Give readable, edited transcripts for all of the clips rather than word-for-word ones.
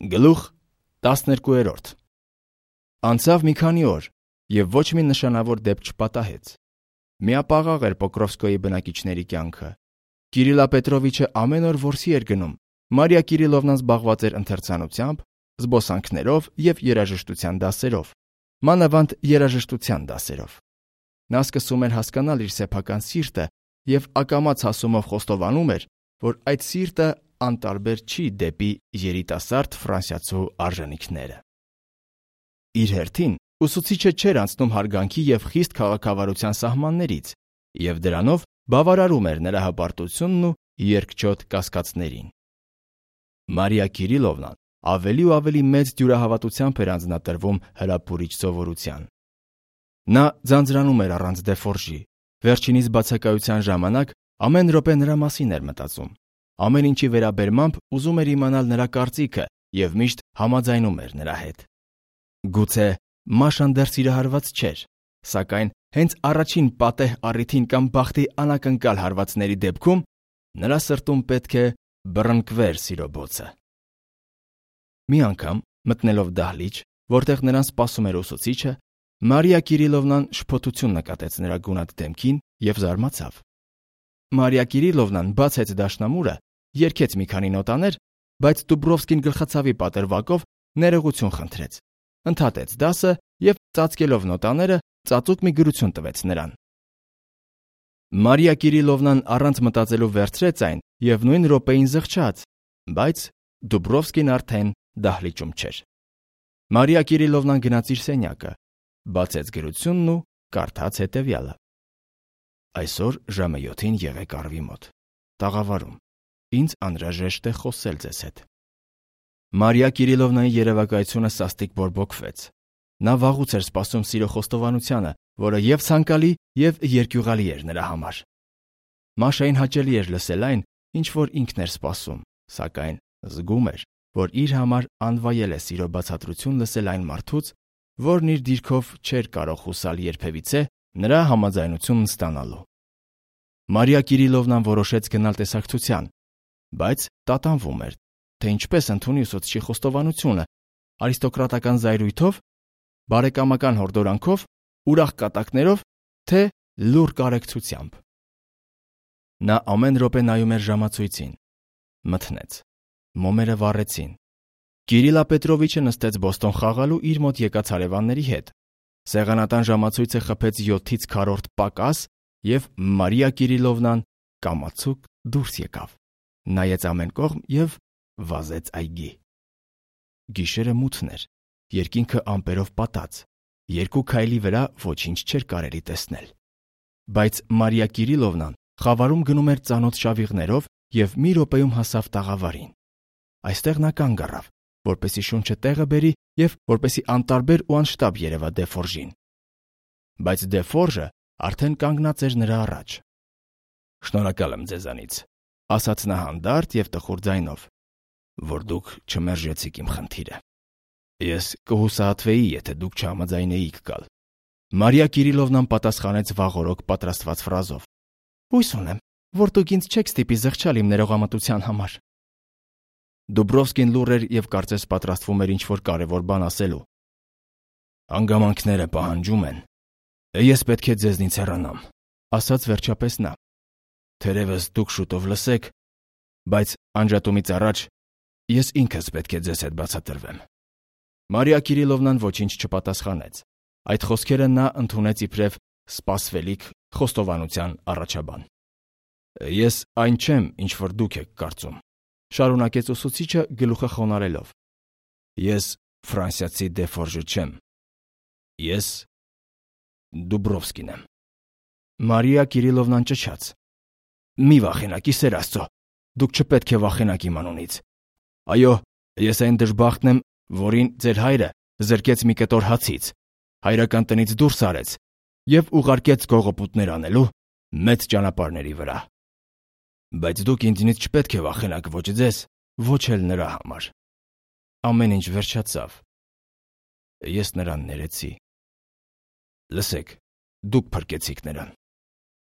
Գլուխ 12։ Անցավ մի քանի օր, և ոչ մի նշանավոր դեպք չպատահեց։ Միապաղաղ էր Պոկրովսկոյի բնակիչների կյանքը։ Կիրիլա Պետրովիչը ամեն օր որսի էր գնում, Մարիա Կիրիլովնան զբաղված էր ընթերցանությամբ, զբոսանքներով և երաժշտության դասերով, մանավանդ երաժշտության դասերով։ Նա սկսում էր հասկանալ իր սեփական սիրտը և ակամաց հասումով խոստովանում էր, որ այդ սիրտը անտարբեր չի դեպի երիտասարդ ֆրանսիացու արժանիքները։ Իր հերթին ուսուցիչը չէր անցնում հարգանքի և խիստ քաղաքավարության սահմաններից և դրանով բավարարում էր նրա հպարտությունն ու երկչոտ կասկածներին։ Մարիա Կիրիլովնան ավելի ու ավելի մեծ դյուրահավատությամբ էր անձնատրվում հրապուրիչ սովորության։ Նա ձանձրանում էր առանց դեֆորժի, վերջինիս բացակայության ժամանակ ամեն րոպե նրա մասին էր մտածում, ամեն ինչի վերաբերմամբ ուզում էր իմանալ նրա կարծիքը և միշտ համաձայնում էր նրա հետ։ Գուցե Մաշան դեռ սիրահարված չէր, սակայն հենց առաջին պատեհ առիթին կամ բախտի անակնկալ հարվածների դեպքում նրա սրտում պետք է բռնկվեր սիրո բոցը։ Մի անգամ, մտնելով դահլիճ, որտեղ նրան սպասում էր ուսուցիչը, Մարիա Կիրիլովնան շփոթություն նկատեց նրա գունատ դեմքին և զարմացավ։ Մարիա Կիրիլովնան բացեց դաշնամուրը, երգեց մի քանի նոտաներ, բայց Դուբրովսկին գլխացավի պատրվակով ներողություն խնդրեց, ընդհատեց դասը և ծածկելով նոտաները ծածուկ մի գրություն տվեց նրան։ Մարիա Կիրիլովնան առանց մտածելու վերցրեց այն և նույն րոպեին զղջաց, բայց Դուբրովսկին արդեն դահլիճում չէր։ Մարիա Կիրիլովնան գնաց իր սենյակը, բացեց գրությունն ու կարդաց հետևյալը. Այսօր ժամը 7-ին եղեք առվի մոտ։ Տաղավարում։ Ինձ անհրաժեշտ է խոսել ձեզ հետ։ Մարիա Կիրիլովնայի երևակայությունը սաստիկ բորբոքվեց։ Նա վաղուց էր սպասում սիրո խոստովանությանը, որը և ցանկալի, և երկյուղալի էր նրա համար։ Մաշային հաճելի էր լսել այն, ինչ որ ինքն էր սպասում, սակայն զգում էր, որ իր համար անվայել է սիրո բացատրություն լսել այն մարդուց, որն իր դիրքով չէր կարող հուսալ երբևիցե նրա համաձայնությունն ստանալու։ Մարիա Կիրիլովնան որոշեց գնալ տեսակցության, բայց տատանվում էր, թե ինչպես ընդունի ուսուցչի խոստովանությունը, արիստոկրատական զայրույթով, բարեկամական հորդորանքով, ուրախ կատակներով, թե լուռ կարեկցությամբ։ Նա ամեն րոպե նայում էր ժամացույցին։ Մթնեց։ Մոմերը վառեցին։ Կիրիլա Պետրովիչը նստեց Բոստոն խաղալու իր մոտ եկած հարևանների հետ։ Սեղանատան ժամացույցը խփեց 7-ից քառորդ պակաս, և Մարիա Կիրիլովնան կամացուկ դուրս եկավ, նայեց ամեն կողմ և վազեց այգի։ Գիշերը մութն էր, երկինքը ամպերով պատած, երկու քայլի վրա ոչինչ չէր կարելի տեսնել։ Բայց Մարիա Կիրիլովնան խավարում գնում էր ծանոթ շավիղներով և մի րոպեում հասավ տաղավարին։ Այստեղ նա կանգ առավ, որպեսզի շունչը տեղը բերի և որպեսզի անտարբեր ու անշտապ երևա դեֆորժին։ Բայց դեֆորժը արդեն կանգնած էր նրա առաջ։ «Շնորհակալ եմ ձեզանից», ասաց նա հանդարտ և տխուր ձայնով, «որ դուք չմերժեցիք իմ խնդիրը։ Ես կհուսահատվեի, եթե դուք չհամաձայնեիք գալ»։ Մարիա Կիրիլովնան պատասխանեց վաղօրոք պատրաստված ֆրազով. «Հույս ունեմ, որ դուք ինձ չեք ստիպի զղջալ իմ ներողամտության համար»։ Դուբրովսկին լուռ էր և կարծես պատրաստվում էր ինչ-որ կարևոր բան ասելու։ «Հանգամանքները պահանջում են։ Ես պետք է ձեզնից հեռանամ», ասաց վերջապես նա։ «Թերևս դուք շուտով լսեք, բայց անջատումից առաջ ես ինքս պետք է ձեզ հետ բացատրվեմ»։ Մարիա Կիրիլովնան ոչինչ չպատասխանեց։ Այդ խոսքերը նա ընդունեց իբրև սպասվելիք խոստովանության առաջաբան։ «Ես այն չեմ, ինչ որ դուք եք կարծում», շարունակեց ուսուցիչը գլուխը խոնարհելով։ «Ես ֆրանսիացի դեֆորժը չեմ։ Ես Դուբրովսկին եմ»։ Մարիա Կիրիլովնան ճչաց. «Մի վախենաք, ի սեր Աստծո, դուք չպետք է վախենաք իմ անունից։ Այո, ես այն դժբախտն եմ, որին ձեր հայրը զրկեց մի կտոր հացից, հայրական տնից դուրս արեց և ուղարկեց գողոպուտներ անելու մեծ ճանապարհների վրա։ Բայց դուք ինձնից չպետք է վախենաք ոչ ձեզ, ոչ էլ նրա համար»։ Ամեն ինչ վերջացավ։ Ես նրան ներեցի։ Լսեք, դուք փրկեցիք նրան։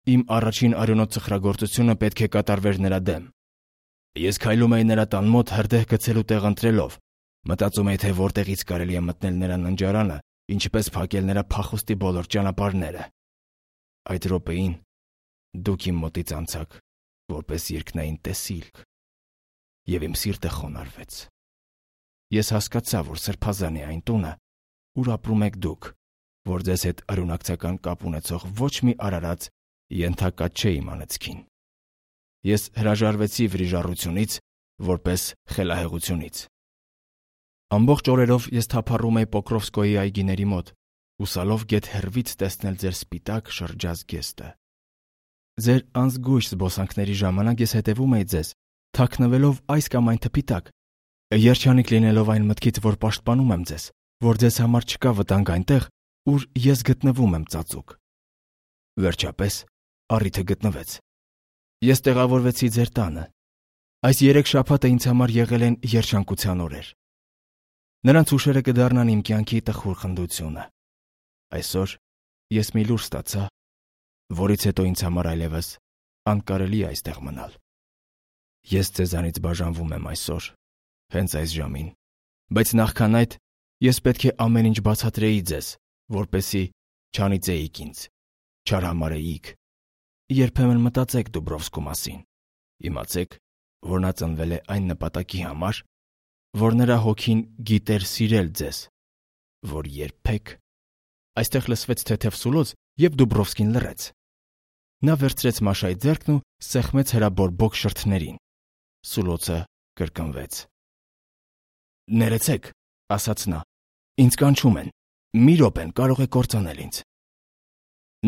Իմ առաջին արյունոտ սխրագործությունը պետք է կատարվեր նրա դեմ։ Ես քայլում էի նրա տան մոտ հրդեհ գցելու տեղ ընտրելով, Մտածում էի, թե որտեղից կարելի է մտնել նրա ննջարանը, ինչպես փակել նրա փախուստի բոլոր ճանապարհները։ Այդ րոպեին դուք իմ մոտից անցաք, որպես երկնային տեսիլք, եւ իմ սիրտը խոնարհվեց։ Ես հասկացա, որ սրբազան է այն տունը, ուր ապրում եք դուք, որ ձեզ հետ արյունակցական կապ ունեցող ոչ մի արարած ենթակա չէ իմ անեծքին։ Ես հրաժարվեցի վրիժառությունից, որպես խելահեղությունից։ Ամբողջ օրերով ես թափառում էի Պոկրովսկոյի այգիների մոտ, ուսալով գեթ հեռվից տեսնել ձեր սպիտակ շրջած գեստը։ Ձեր անզգույշ զբոսանքների ժամանակ ես հետևում էի ձեզ, թաքնվելով այս կամ այն թփի տակ, երջանիկ լինելով այն մտքից, որ պաշտպանում եմ ձեզ, որ ձեզ համար չկա վտանգ այնտեղ, ուր ես գտնվում եմ ծածուկ։ Վերջապես առիթը գտնվեց։ Ես տեղավորվեցի ձեր տանը։ Այս 3 շաբաթը ինձ համար եղել են երջանկության օրեր։ Նրանց հուշերը կդառնան իմ կյանքի տխուր խնդությունը։ Այսօր ես մի լուր ստացա, որից հետո ինձ համար այլևս անկարելի է այստեղ մնալ։ Ես ձեզանից բաժանվում եմ այսօր, հենց այս ժամին, բայց նախքան այդ ես պետք է ամեն ինչ բացատրեի ձեզ, որպեսզի չանիծեիք ինձ, չարհամարեիք։ Երբեմն մտածեք Դուբրովսկու մասին։ Իմացեք, որ նա ծնվել է այն նպատակի համար, որ նրա հոգին գիտեր սիրել ձեզ, որ երբեք… Այստեղ լսվեց թեթև սուլոց, և Դուբրովսկին լռեց։ Նա վերցրեց Մաշայի ձեռքն ու սեղմեց հրաբորբոք շրթներին։ Սուլոցը կրկնվեց։ «Ներեցեք», ասաց նա, «ինձ կանչում են, մի րոպեն կարող է կործանել ինձ»։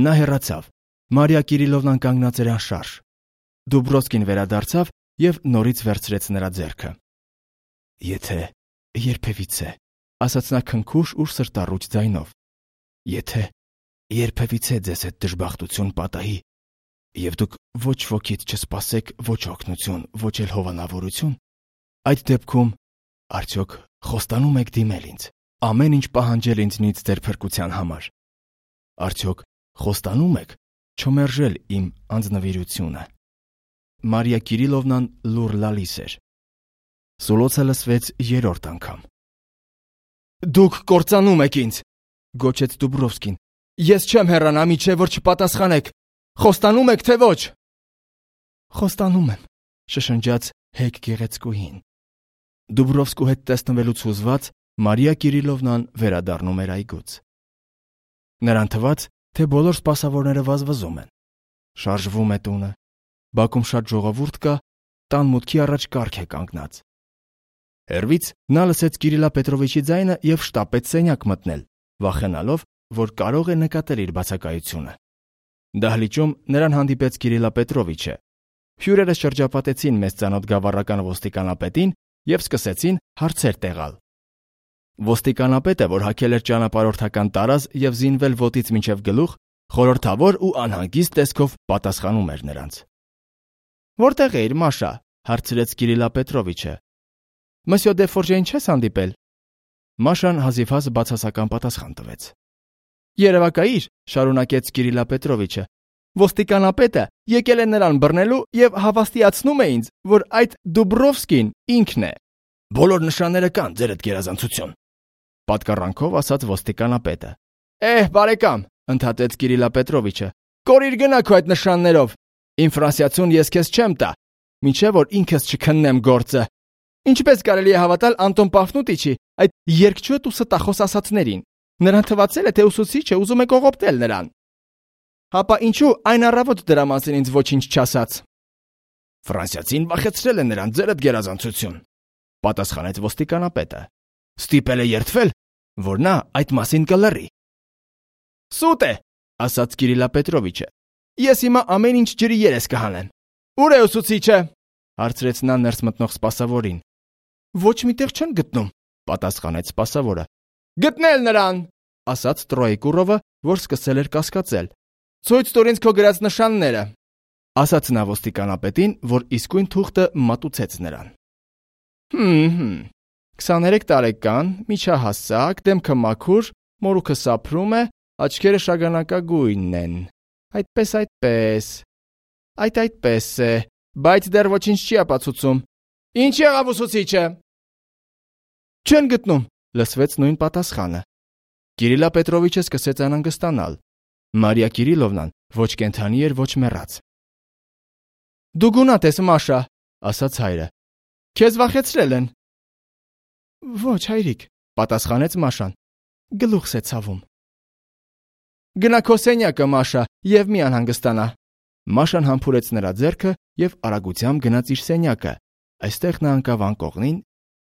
Նա հեռացավ, Մարիա Կիրիլովնան կանգնած էր անշարժ։ Դուբրովսկին վերադարձավ և նորից վերցրեց նրա ձեռքը։ «Եթե երբևիցե», ասաց նա քնքուշ ու սրտառուչ ձայնով, «եթե երբևիցե ձեզ հետ դժբախտություն պատահի, և դուք ոչ ոքից չսպասեք ոչ օգնություն, ոչ էլ հովանավորություն, այդ դեպքում արդյոք խոստանում եք դիմել ինձ, ամեն ինչ պահանջել ինձնից ձեր փրկության համար։ Արդյոք խոստանում եք չմերժել իմ անձնվիրությունը»։ Մարիա Կիրիլովնան լուռ լալիս էր։ Սուլոցը լսվեց 3-րդ անգամ։ «Դուք կործանում եք ինձ», գոչեց Դուբրովսկին։ «Ես չեմ հեռանա, մինչև որ չպատասխանեք։ Խոստանում եք, թե ոչ»։ «Խոստանում եմ», շշնջաց հեգ գեղեցկուհին։ Դուբրովսկու հետ տեսնվելուց հուզված Մարիա Կիրիլովնան վերադառնում էր այգուց։ Նրան թվաց, թե բոլոր սպասավորները վազվզում են։ Շարժվում է տունը։ Բակում շատ ժողովուրդ կա, տան մուտքի առաջ կառք է կանգնած։ Հեռվից նա լսեց Կիրիլա Պետրովիչի ձայնը և շտապեց սենյակ մտնել, վախենալով, որ կարող է նկատել իր բացակայությունը։ Դահլիճում նրան հանդիպեց Կիրիլա Պետրովիչը։ Հյուրերը շրջապատեցին մեծ ծանոթ գավառական ոստիկանապետին և սկսեցին հարցեր տեղալ։ Ոստիկանապետը, որ հագել էր ճանապարհորդական տարազ և զինվել ոտից մինչև գլուխ, խորհրդավոր ու անհանգիստ տեսքով պատասխանում էր նրանց։ «Որտեղ էիր, Մաշա», հարցրեց Կիրիլա Պետրովիչը։ «Մսյո դե Ֆորժեին չես հանդիպել»։ Մաշան հազիվհազ բացասական պատասխան տվեց։ «Երևակայիր», շարունակեց Կիրիլա Պետրովիչը, «ոստիկանապետը եկել է նրան բռնելու և հավաստիացնում է ինձ, որ այդ Դուբրովսկին ինքն է»։ «Բոլոր նշանները կան, ձերդ գերազանցություն», պատկառանքով ասաց ոստիկանապետը։ Բարեկամ, ընդհատեց Կիրիլա Պետրովիչը, կորիր գնա քո այդ նշաններով։ Իմ ֆրանսիացուն ես քեզ չեմ տա, մինչև որ ինքս չքննեմ գործը։ Ինչպես կարելի է հավատալ Անտոն Պաֆնուտիչի այդ երկչոտ ու ստախոս ասածներին։ Նրան թվացել է, թե ուսուցիչը ուզում է կողոպտել նրան։ Հապա ինչու այն առավոտ դրա մասին ինձ ոչինչ չասաց։ Ֆրանսիացին վախեցրել է նրան, ձերդ գերազանցություն, պատասխանեց ոստիկանապետը։ Ստիպել է երդվել, որ նա այդ մասին կլռի։ Սուտ է, ասաց Կիրիլա Պետրովիչը։ Ես հիմա ամեն ինչ ջրի երես կհանեմ։ Ուր է ուսուցիչը, հարցրեց նա ներս մտնող սպասավորին։ Ոչ միտեղ չեն գտնում, պատասխանեց սպասավորը։ Գտնել նրան, ասաց Տրոյկուրովը, որ սկսել էր կասկածել։ Ցույց տուր ինձ քո գրած նշանները, ասաց նա ոստիկանապետին, որ իսկույն թուղթը մատուցեց նրան։ 23 տարեկան, միջահասակ, դեմքը մաքուր, մորուքը սափրում է, աչքերը շագանակագույնն են։ Այդպես է, բայց դեռ ոչինչ չի ապացուցում։ Ինչ եղավ ուսուցիչը։ Չեն գտնում, լսվեց նույն պատասխանը։ Կիրիլա Պետրովիչը սկսեց անհանգստանալ։ Մարիա Կիրիլովնան ոչ կենդանի էր, ոչ մեռած։ Դու գունատ ես, Մաշա, ասաց հայրը։ Քեզ վախեցրել են։ Ոչ, հայրիկ, պատասխանեց Մաշան։ Գլուխս է ցավում։ Գնա քո սենյակը, Մաշա, եւ մի անհանգստանա։ Մաշան համբուրեց նրա ձեռքը եւ արագությամբ գնաց իր սենյակը։ Այստեղ նա ընկավ անկողնին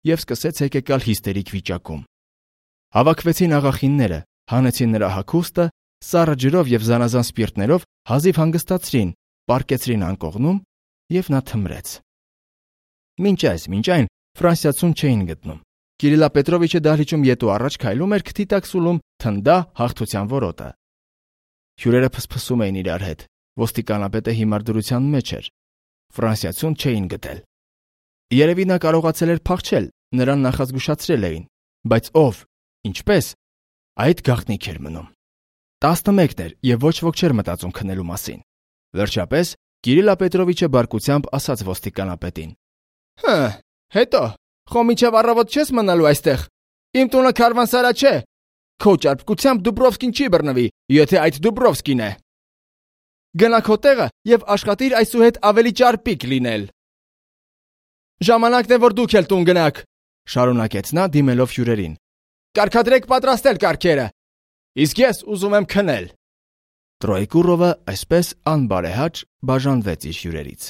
եւ սկսեց հեկեկալ հիստերիկ վիճակում։ Հավաքվեցին աղախինները, հանեցին նրա հագուստը, սառը ջրով եւ զանազան սպիրտներով հազիվ հանգստացրին, պառկեցրին անկողնում եւ նա թմրեց։ Մինչ այն ֆրանսիացուն չէին գտնում։ Կիրիլա Պետրովիչը դահլիճում ետ ու առաջ քայլում էր, քթի տակ սուլում թնդա հաղթության որոտը։ Հյուրերը փսփսում էին իրար հետ։ Ոստիկանապետը հիմար դրության մեջ էր։ Ֆրանսիացուն չէին գտել։ Երևի նա կարողացել էր փախչել, նրան նախազգուշացրել էին, բայց ով, ինչպես, այդ գաղտնիք էր մնում։ 11 էր եւ ոչ ոք չէր մտածում քնելու մասին։ Վերջապես Կիրիլա Պետրովիչը բարկությամբ ասաց ոստիկանապետին. Հետո, խո մինչև առավոտ չես մնալու այստեղ։ Իմ տունը քարվանսարա չէ։ Քո ճարպկությամբ Դուբրովսկին չի բռնվի, եթե այդ Դուբրովսկին է։ Գնա քո տեղը եւ աշխատիր այսուհետ ավելի ճարպիկ լինել։ Ժամանակն է, որ դուք էլ տուն գնաք, շարունակեց նա դիմելով հյուրերին։ Կարգադրեք պատրաստել կարգերը։ Իսկ ես ուզում եմ քնել։ Տրոյկուրովը այսպես անբարեհաճ բաժանվեց իր հյուրերից։